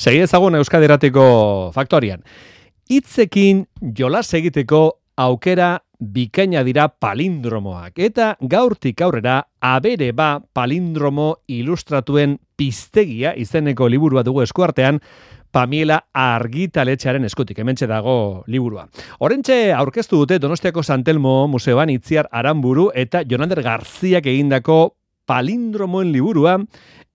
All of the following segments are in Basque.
Segi ezagun Euskadi Irratiko Faktorian. Hitzekin jolas egiteko aukera bikaina dira palindromoak. Eta gaurtik aurrera abere ba palindromo ilustratuen piztegia izeneko liburua dugu eskuartean, Pamiela Argitaletxearen eskutik, hementxe dago liburua. Horrentxe aurkeztu dute Donostiako San Telmo Museoan Itziar Aranburu eta Jonander Garziak egindako palindromoen liburua.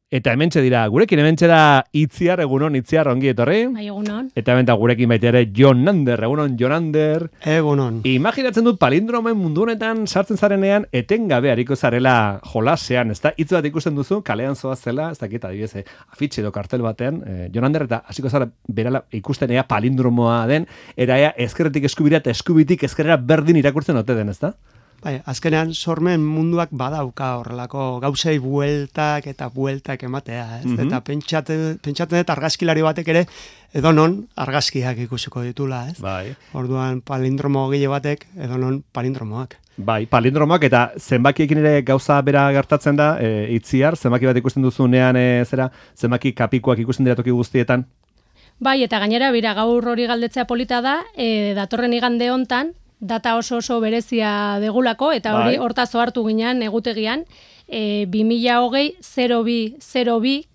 Eta hementxe dira, gurekin hementxe da Itziar, egunon, Itziar, ongi etorri. Bai, egunon. Eta hemen da gurekin baita ere Jonander, egunon, Jonander. Egunon. Imaginatzen dut palindromoen mundu honetan sartzen zarenean etengabe hariko zarela jolasean, ezta? Hitz bat ikusten duzu, kalean zoazela, ez dakit adibidez, afitxe edo kartel batean, Jonander, eta hasiko zara berala ikusten ea palindromoa den, era ea ezkerretik eskubira eta eskubitik ezkerrera berdin irakurtzen ote den, ezta? Bai, azkenean sormen munduak badauka horrelako gauzei bueltak eta bueltak ematea, ez? Eta pentsatzen dut argazkilari batek ere edonon argazkiak ikusiko ditula, ez? Bai. Orduan palindromo gile batek edonon palindromoak. Bai, palindromoak eta zenbakiekin ere gauza bera gertatzen da, Itziar, zenbaki bat ikusten duzunean zenbaki kapikoak ikusten dira toki guztietan? Bai, eta gainera bira gaur hori galdetzea polita da, datorren igande hontan, data oso berezia degulako, eta hori hortaz ohartu ginean egutegian, 2020-02-02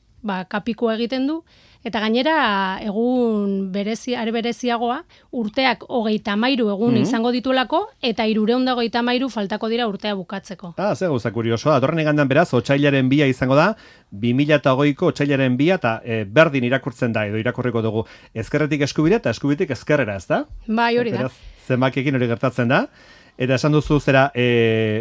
kapikoa egiten du, eta gainera egun bereziagoa urteak 33 egun izango dituelako, eta 323 faltako dira urtea bukatzeko. Ze gauza kuriosoa, datorren igandean beraz, otsailaren 2 izango da, 2020ko otsailaren 2 eta berdin irakurtzen da, edo irakurriko dugu ezkerretik eskubira eta eskubitik ezkerrera, ez da? Bai, hori da. Beraz, zenbakiekin hori gertatzen da. Eta esan duzu zera,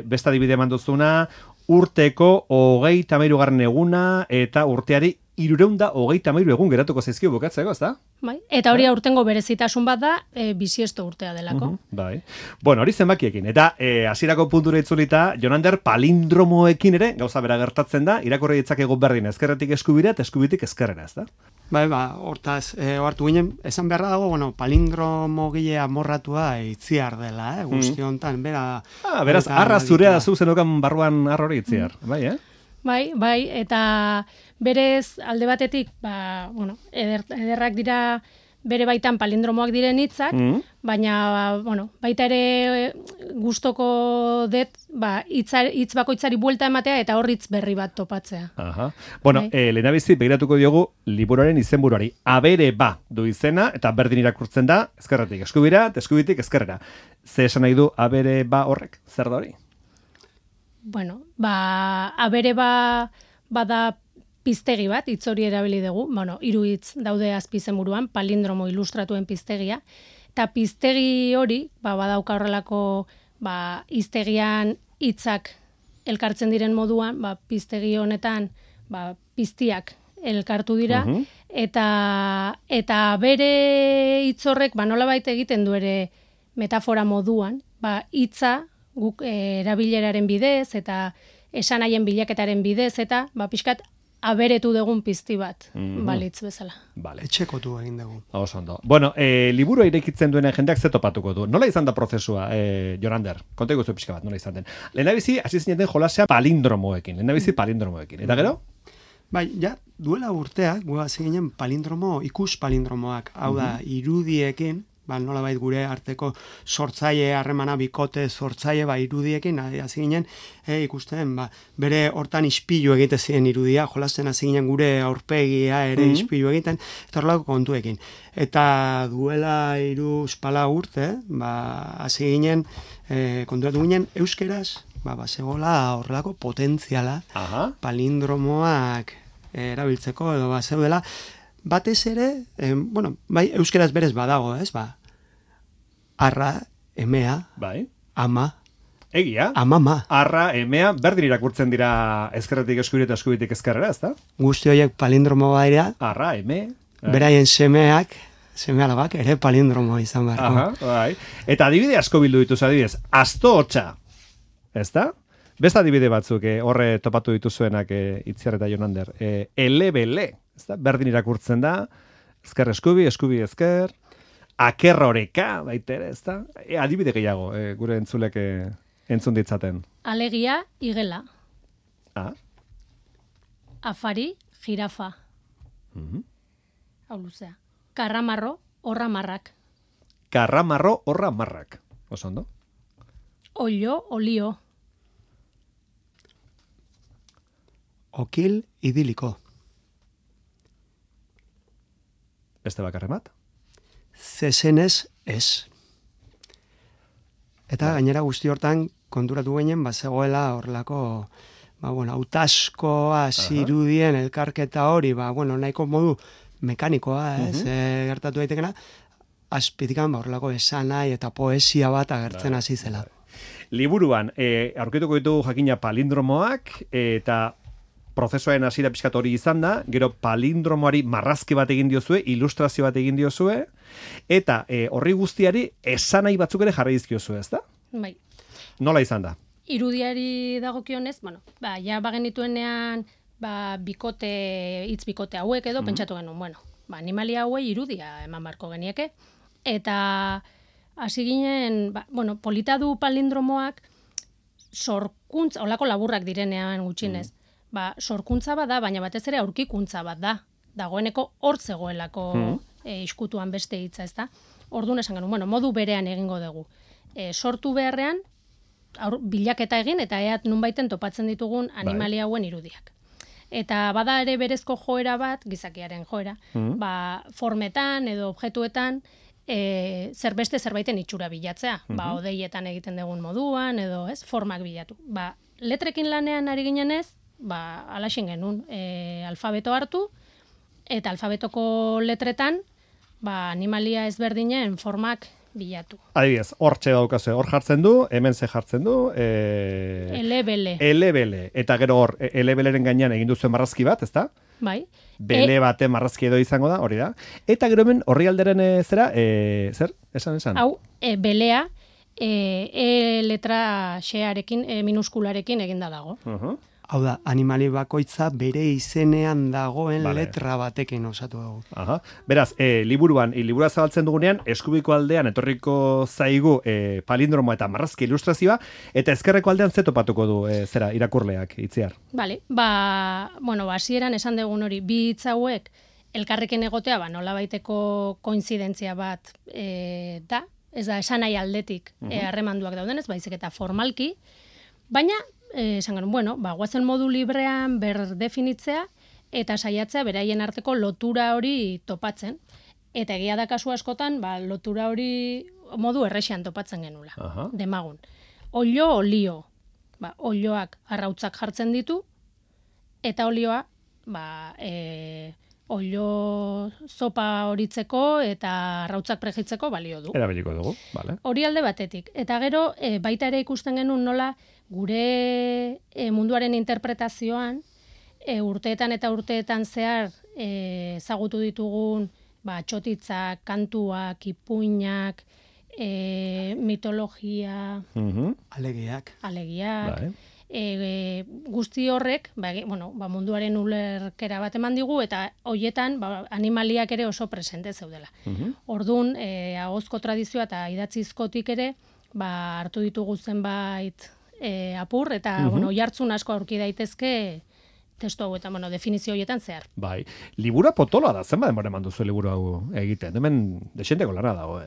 besta dibide eman duzuna, urteko 33. eguna eta urteari 323 egun geratuko zaizkio bukatzeko, ez da? Bai, eta hori aurtengo berezitasun bat da, bisiesto urtea delako. Bai. Bueno, hori zenbakiekin. Eta hasierako puntura itzulita, Jonander, palindromoekin ere, gauza bera gertatzen da, irakurri ditzakegu berdin, ezkerretik eskubira eta eskubitik ezkerrera, ez da? Bai, hortaz, ohartu ginen, esan beharra dago, palindromo gile amorratua Itziar dela, guzti honetan, bera... Beraz, arra zurea zu zenokan barruan arra hori Itziar, bai, Bai, eta berez alde batetik, ederrak dira bere baitan palindromoak diren hitzak, baina, baita ere gustoko dut, hitz bakoitzari buelta ematea eta hor hitz berri bat topatzea. Bueno, lehenabizi begiratuko diogu liburuaren izenburuari. Abere ba du izena eta berdin irakurtzen da, ezkerretik eskubira eta eskubitik ezkerrera. Ze esan nahi du abere ba horrek? Zer da hori? Bueno, abere bada piztegi bat, hitz hori erabili dugu, 3 hitz daude azpizenburuan, palindromo ilustratuen piztegia, eta piztegi hori, badauka horrelako, hiztegian hitzak elkartzen diren moduan, piztegi honetan, piztiak elkartu dira, eta bere hitz horrek, nolabait egiten du ere metafora moduan, hitza, guk erabileraren bidez eta esanaien bilaketaren bidez eta pixkat aberetu dugun pizti bat balitz bezala. Vale. Etxekotu egin dugu. Oso ondo. Bueno, liburua irekitzen duena jendeak ze topatuko du. Nola izan da prozesua, Jonander? Konta iguzu pixka bat, nola izan den. Lehenabizi, hasi zineten jolasea palindromoekin. Eta gero? Bai, duela urteak, hasi ginen ikus palindromoak. Hau da, irudiekin, nolabait gure arteko sortzaile harremana bikote sortzaile irudiekin hasi ginen ikusten bere hortan ispilu egite ziren irudia, jolasten hasi ginen gure aurpegia ere ispilu egiten eta horrelako kontuekin. Eta duela 3-4 urte, hasi ginen konturatu ginen euskeraz, zegoela horrelako potentziala palindromoak erabiltzeko edo zeudela. Batez ere, euskeraz berez badago, ez? Arra, emea, ama. Egia? Amama. Arra, emea, berdin irakurtzen dira ezkerretik eskubira eta eskubitik ezkerrera, ez da? Guzti horiek palindromo baira. Arra, eme. Beraien semeak, seme-alabak ere palindromo izan beharko. Eta adibide asko bildu dituz, adibidez, asto hotxa, ez da? Beste adibide batzuk horre topatu dituzuenak Itziar eta Jonander. Elebele, ez da? Berdin irakurtzen da, ezker eskubi, eskubi ezker, akerroreka, baitere, ez da? Adibide gehiago, gure entzulek entzun ditzaten. Alegia, igela. Ah. Afari, jirafa. hau luzea. Karramarro, horra marrak. Karramarro, horra marrak. Oso ondo. Olio, olio. Okil idiliko. Beste bakarren bat? Zezenez ez. Eta gainera guzti hortan konturatu ginen, zegoela horrelako, hautaskoa zirudien elkarketa hori, nahiko modu mekanikoa, ez, gertatu daitekena, azpitikan horrelako esanai eta poesia bat agertzen hasi zela. Liburuan, aurkituko ditugu jakina palindromoak, eta prozesuaren hasiera pixkat hori izan da, gero palindromoari marrazki bat egin diozue, ilustrazio bat egin diozue, eta horri guztiari esanai batzuk ere jarri dizkiozue, ez da? Bai. Nola izan da? Irudiari dagokionez, ja bagenituenean hitz bikote hauek edo pentsatu genuen, animalia hauei irudia eman barko genieke, eta hasi ginen, polita du palindromoak sorkuntza, olako laburrak direnean gutxinez, sorkuntza bat da, baina batez ere aurkikuntza bat da, dagoeneko hor zegoelako iskutuan beste hitza, ez da? Orduan esan genuen, modu berean egingo dugu. Sortu beharrean, bilaketa egin, eta eat nunbaiten topatzen ditugun animalia hauen irudiak. Eta bada ere berezko joera bat, gizakiaren joera, formetan edo objektuetan, zerbeste zerbaiten itxura bilatzea. Odeietan egiten dugun moduan, edo formak bilatu. Letrekin lanean ari ginenez, alaxen genuen alfabeto hartu, eta alfabetoko letretan, animalia ezberdinen formak bilatu. Adibidez, hortxe daukazue, hor jartzen du, hemen ze jartzen du, elebele. Elebele. Eta gero hor, elebeleren gainean egin duzuen marrazki bat, ezta? Bai. Bele bate marrazki edo izango da, hori da. Eta gero hemen horri alderen zera, zer? Esan? Hau, belea, letra xearekin, minuskularekin eginda dago. Hau da, animali bakoitza bere izenean dagoen letra batekin osatu dugu. Beraz, liburua zabaltzen dugunean, eskubiko aldean etorriko zaigu palindromo eta marrazki ilustrazioa, eta ezkerreko aldean ze topatuko du irakurleak, Itziar? Bale, hasieran esan dugun hori, bi hitz hauek elkarrekin egotea, nolabaiteko koinzidentzia bat da, ez da, esan nahi aldetik harremanduak daudenez, baizik eta formalki, baina, esan genuen, guazen modu librean berdefinitzea eta saiatzea beraien arteko lotura hori topatzen. Eta egia da kasu askotan, lotura hori modu errexean topatzen genula. Demagun. Olio, olio. Olioak arrautzak jartzen ditu, eta olioa, olio zopa horitzeko eta arrautzak prejitzeko balio du. Erabiliko dugu, bale. Hori alde batetik. Eta gero, baita ere ikusten genuen nola, gure munduaren interpretazioan, urteetan eta urteetan zehar ezagutu ditugun txotitzak, kantuak, ipuinak, mitologia, alegiak, guzti horrek, munduaren ulerkera bat eman digu, eta hoietan animaliak ere oso presente zeudela. Orduan, ahozko tradizioa eta idatzizkotik ere, hartu ditugu zenbait apur, eta jartzun asko aurki daitezke testu hau eta definizio horietan zehar. Bai, libura potoloa da, zenba denbora eman duzu liburu hau egiten, hemen desenteko lana dago,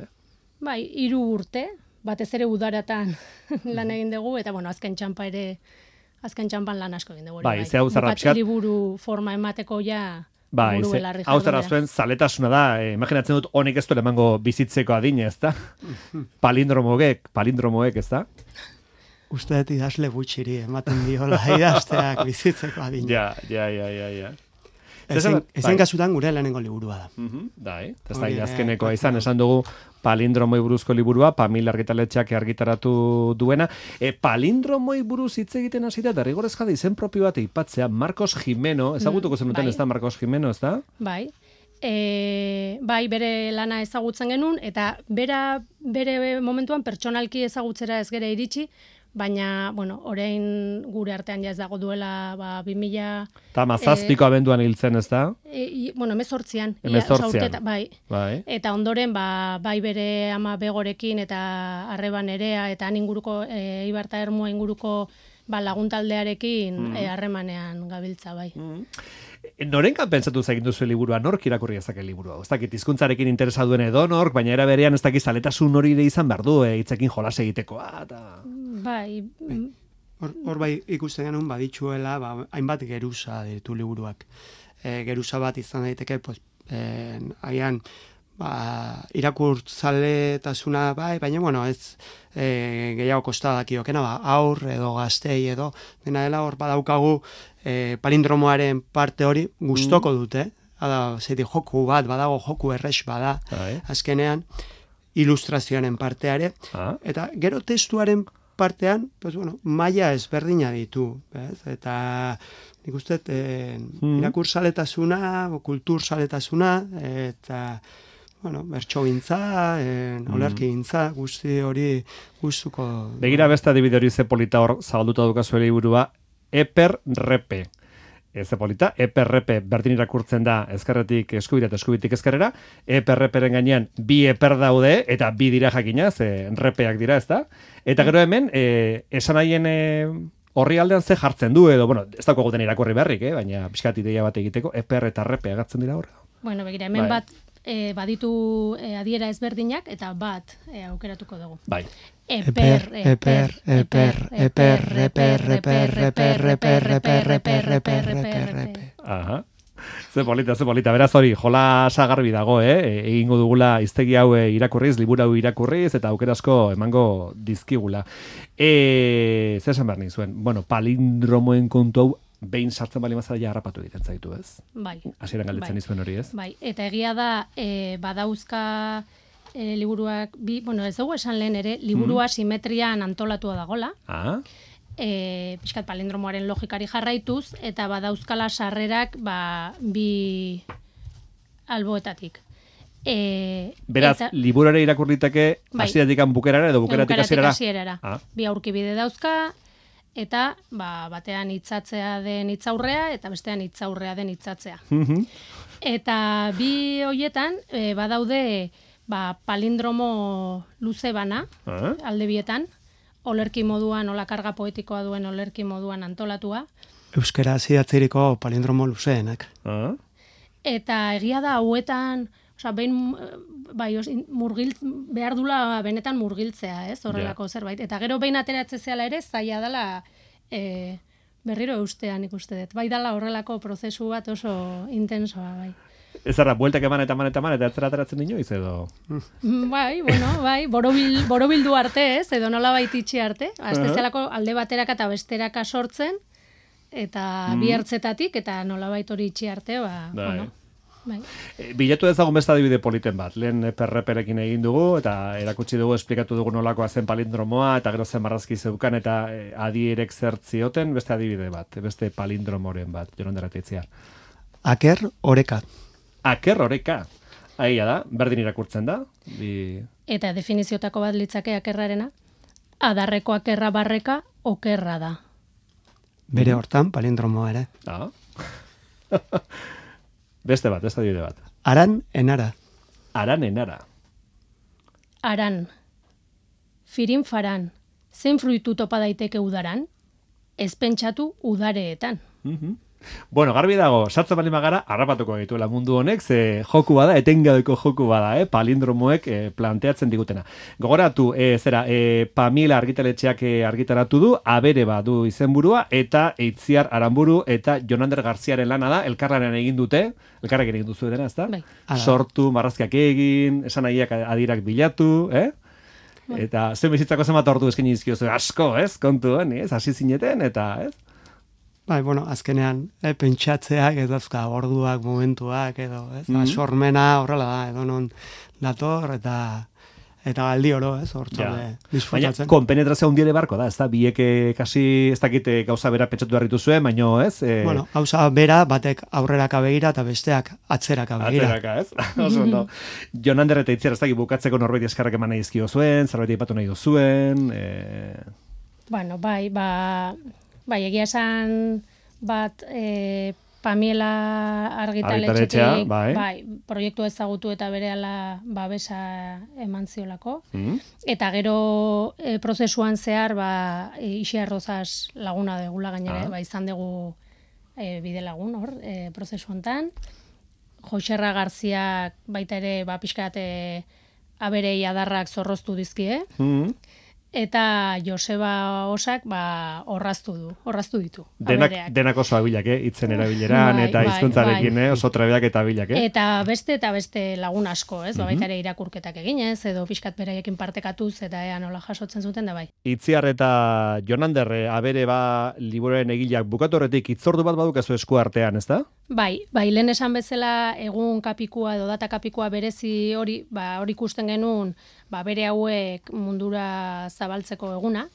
Bai, 3 urte, batez ere udaratan lan egin dugu, eta azken txampan lan asko egin dugu. Bai, ze hau zarra pixkat. Liburu forma emateko ja... Bai, hau zara zuen zaletasuna da, imaginatzen dut honek ez du emango bizitzeko adine, ez da? Palindromoek, ez da? Uste dut idazle gutxiri ematen diola idazteak bizitzeko adine. Ja. Ezen kasutan gure lehenengo liburua da. Ez da idazkenekoa izan, esan dugu palindromoi buruzko liburua, Pamil argitaletxeak argitaratu duena. Palindromoi buruz hitz egiten hasi da, derrigorrez jada izen propio bat aipatzea, Marcos Jimeno, ezagutuko zenuten ez da, Marcos Jimeno, ez da? Bai. Bere lana ezagutzen genuen, eta bere momentuan pertsonalki ezagutzera ez gera iritsi, baina, orain gure artean ja ez dago duela 2000... Eta mazazpiko abenduan hiltzen, ez da? 18an. Bai. Eta ondoren, bai bere ama begorekin eta arreban erea, eta han inguruko, Ibarta Ermua inguruko laguntaldearekin harremanean gabiltza, bai. Norengan pentsatu egin duzu liburua, nork irakurri ezake liburua? Ez dakit hizkuntzarekin interesa duen edo nork, baina era berean ez dakit zaletasun hori ere izan behar du, hitzekin jolas egitekoa eta Bai. Hor bai ikusten genuen baditzuela, hainbat geruza ditu liburuak. Geruza bat izan daiteke, pues, haian irakurtzaletasuna bai, baina bueno, ez gehiago kostadakiokena, aur edo gaztei edo, dena dela hor badaukagu palindromoaren parte hori gustoko dute. Hada, joku bat, badago joku errex bada, azkenean, ilustrazioaren parteare, eta gero testuaren partean, pues bueno, maila ezberdina ditu, bez? Eta nik uste irakurzaletasuna, kulturzaletasuna, eta bueno, bertxogintza, olerkigintza, guzti hori gustuko. Begira beste adibide hori ze polita hor zabalduta dukazu liburua, eper-repe. Ze polita, eper-repe berdin irakurtzen da ezkerretik eskubira eta eskubitik ezkerrera, eper-reperen gainean bi eper daude, eta bi dira jakina, ze repeak dira, ez da? Eta gero hemen, esan haien horri aldean ze jartzen du, edo, bueno, ez dago goten irakurri beharrik, baina pixkat ideia bat egiteko, eper eta repe agatzen dira horra. Bueno, begira, hemen bat baditu adiera ezberdinak, eta bat aukeratuko dugu. Bai. Eper. Aha. Ze polita. Beraz hori, jolasa garbi dago, egingo dugula hiztegi hau irakurriz, liburu hau irakurriz, eta aukerasko emango dizkigula. Zer esan behar nizuen? Bueno, palindromoen kontu hau behin sartzen bali mazara ja harrapatu egiten zaitu, ez? Bai. Hasieran galdetzen nizuen hori, ez? Bai, eta egia da, badauzka liburuak, bueno, ez dugu esan lehen ere, liburua simetrian antolatua dagola. Pixkat palindromoaren logikari jarraituz, eta badauzkala sarrerak bi alboetatik. Beraz, liburuare irakurriteke hasieratik bukerara edo bukeratik hasierara. Bi aurkibide dauzka, eta batean hitzatzea den hitzaurrea, eta bestean hitzaurrea den hitzatzea. Eta bi hoietan, badaude palindromo luze bana, alde bietan, olerki moduan, ola karga poetikoa duen olerki moduan antolatua. Euskera zidatzeriko palindromo luzeenak. Eta egia da, hauetan, behin, behar dula benetan murgiltzea, ez, horrelako zerbait. Eta gero behin ateratze zehala ere, zaila dela berriro eustean ikuste dut. Bai dala horrelako prozesu bat oso intensoa, bai. Ez arra, bueltak eman, eta ez zera ateratzen inoiz, edo? Bai, borobildu arte, ez, edo nola baititxi arte. Aztezialako alde bateraka eta besteraka sortzen, eta bi ertzetatik, eta nola hori itxi arte, bueno. Bai. Bilatu ezagun beste adibide politen bat. Lehen perreperekin egin dugu, eta erakutsi dugu, esplikatu dugu nolakoa zen palindromoa, eta gero zen marrazki zeukan, eta adierek zertzioten, beste adibide bat, beste palindromoren bat, Jon Ander Ateitzea. Aker oreka. Aker oreka. Aia da, berdin irakurtzen da. Eta definiziotako bat litzake akerrarena, adarreko akerra barreka okerra da. Bere hortan, palindromoa ere. Beste bat, beste adibide bat. Aran enara. Aran enara. Aran. Firin faran. Zein fruitu topa daiteke udaran? Ez pentsatu udareetan. Bueno, garbi dago, sartzen bali magara, harrapatuko dituela mundu honek, ze joku bada, etengabeko joku bada, palindromoek planteatzen digutena. Gogoratu, Pamela argitaletxeak argitaratu du, abere badu izenburua, eta Eitziar Aranburu eta Jon Ander Garziaren lana da, elkarlanean egin dute, elkarrekin egin duzu dena, ez da? Sortu, marrazkiak egin, esan nahiak adirak bilatu, Eta zen bizitzako zenbat ordu eskin izkiozu, asko, ez? Kontuan, ez? Hasi zineten, eta, ez? Bai, bueno, azkenean, pentsatzeak, ez dauzka, orduak, momentuak, edo, ez? Sormena horrela da, edo non dator, eta aldi oro, ez? Hortzode, disfrutatzen. Baina, konpenetrazio hundiere barko da, ez da? Bieke kasi, ez dakite gauza bera pentsatu berritu zuen, baino, ez? Bueno, gauza bera, batek aurreraka begira, eta besteak atzeraka begira. Atzeraka, ez? Oso ondo. Jon Ander eta Itziar, ez dakit bukatzeko norbait eskarrak eman nahi izkio zuen, zerbait aipatu nahi duzuen, Bueno, bai, egia esan bat Pamela argitaletxetik proiektu ezagutu eta berehala babesa eman ziolako. Eta gero prozesuan zehar Ixia Rozas laguna degula gainera, izan dugu bide lagun hor, prozesu hontan. Joxerra Garziak baita ere, pixkat aberei adarrak zorroztu dizkie. Eta Joseba Osak orraztu ditu. Denak oso abilak, hitzen erabileran, eta hizkuntzarekin, oso trebeak eta abilak. Eta beste lagun asko, ez? Baita ere irakurketak eginez, edo pixkat beraiekin partekatuz, eta ea nola jasotzen zuten da bai. Itziar eta Jonander abere liburuaren egileak bukatu horretik itzordu bat badukazu esku artean, ez da? Bai, lehen esan bezala egun kapikua edo data kapikua berezi hori ikusten genuen, bere hauek mundura zabaltzeko eguna,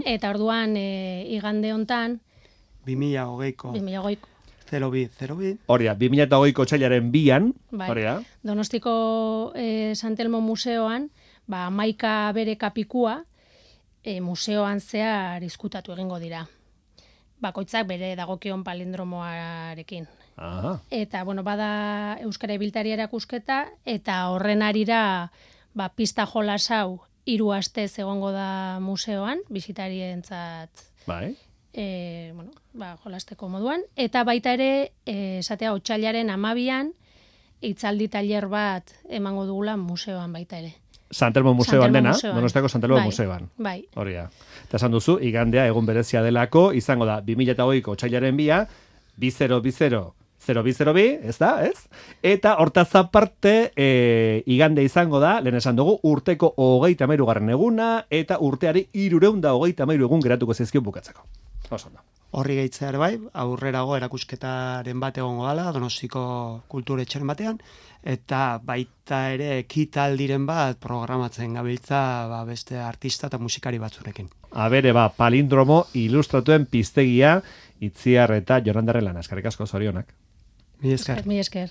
eta orduan igande hontan 2020ko 02. Horia, 2020ko otsailaren 2an, horia. Donostiko Santelmo museoan, 11 bere kapikua museoan zehar izkutatu egingo dira. Bakoitzak bere dagokion palindromoarekin. Aha. Eta, bada Euskara Ibiltari erakusketa, eta horren arira pista jolas hau 3 astez egongo da museoan, bisitarientzat bai. Jolasteko moduan. Eta baita ere, esatea, otsailaren 12an, hitzaldi tailer bat emango dugula museoan baita ere. Santelmo museoan dena, Donostiako Santelmo museoan. Bai. Horia. Eta esan duzu, igandea egun berezia delako, izango da 2020ko otsailaren 2a, 202002, ez da, ez? Eta hortaz aparte, igande izango da, lehen esan dugu, urteko 33. eguna, eta urteari 333 egun geratuko zaizkio bukatzeko. Oso da. Horri gehitzea ere bai, aurrerago erakusketaren bat egongo dala, Donostiko kulturetxeren batean, eta baita ere ekitaldiren bat programatzen gabiltza beste artista eta musikari batzurekin. Abere palindromo ilustratuen piztegia, Itziar eta Jonandarren lana. Eskerrik asko, zorionak. Mi esker. Mi esker.